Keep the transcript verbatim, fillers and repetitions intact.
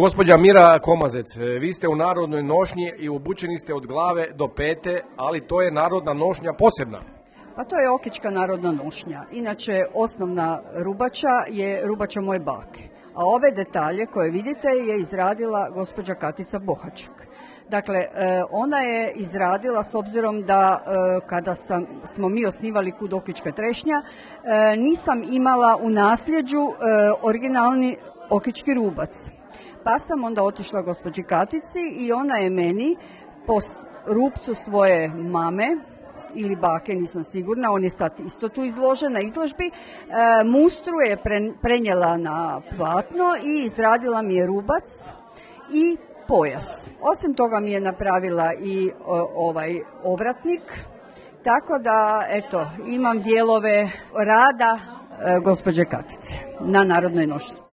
Gospođa Mira Komazec, vi ste u narodnoj nošnji i obučeni ste od glave do pete, ali to je narodna nošnja posebna. Pa to je okička narodna nošnja. Inače, osnovna rubača je rubača moje bake. A ove detalje koje vidite je izradila gospođa Katica Bohačak. Dakle, ona je izradila, s obzirom da kada sam, smo mi osnivali Kud Okička trešnja, nisam imala u nasljeđu originalni okički rubac. Pa sam onda otišla gospođi Katici i ona je meni po rupcu svoje mame ili bake, nisam sigurna, on je sad isto tu izložen na izložbi, e, mustru je pre, prenijela na platno i izradila mi je rubac i pojas. Osim toga mi je napravila i o, ovaj ovratnik, tako da eto, imam dijelove rada e, gospođe Katice na narodnoj nošnji.